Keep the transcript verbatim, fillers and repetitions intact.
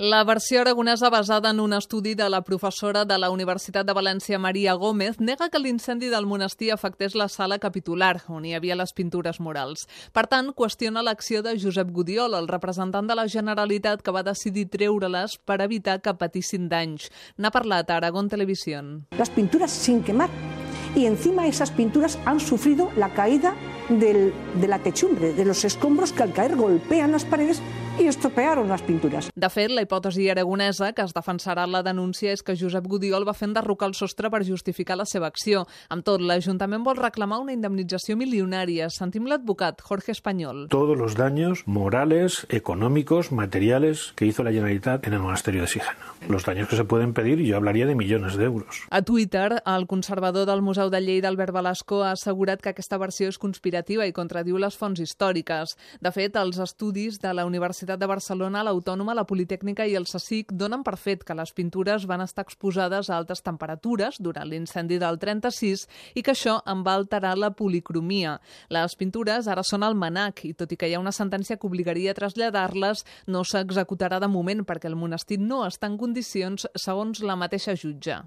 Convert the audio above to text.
La versió aragonesa basada en un estudi de la professora de la Universitat de València, Maria Gómez, nega que l'incendi del monestir afectés la sala capitular, on hi havia les pintures murals. Per tant, qüestiona l'acció de Josep Gudiol, el representant de la Generalitat, que va decidir treure-les per evitar que patissin danys. N'ha parlat a Aragón Televisión. Las pinturas sin quemar. Y encima esas pinturas han sufrido la caída del, de la techumbre, de los escombros que al caer golpean las paredes i estropearon les pintures. De fet, la hipòtesi aragonesa que es defensarà la denúncia és que Josep Gudiol va fer enderrocar el sostre per justificar la seva acció. Amb tot, l'Ajuntament vol reclamar una indemnització milionària. Sentim l'advocat Jorge Español. Todos los daños morales, económicos, materiales que hizo la Generalitat en el monasterio de Sigena. Los daños que se pueden pedir, yo hablaría de millones de euros. A Twitter, el conservador del Museu de Lleida, Albert Velasco, ha assegurat que aquesta versió és conspirativa i contradiu les fonts històriques. De fet, els estudis de la Universitat de Barcelona, l'Autònoma, la Politècnica i el CSIC donen per fet que les pintures van estar exposades a altes temperatures durant l'incendi del trenta-sis i que això en va alterar la policromia. Les pintures ara són al MNAC i tot i que hi ha una sentència que obligaria a traslladar-les, no s'executarà de moment perquè el monestir no està en condicions segons la mateixa jutge.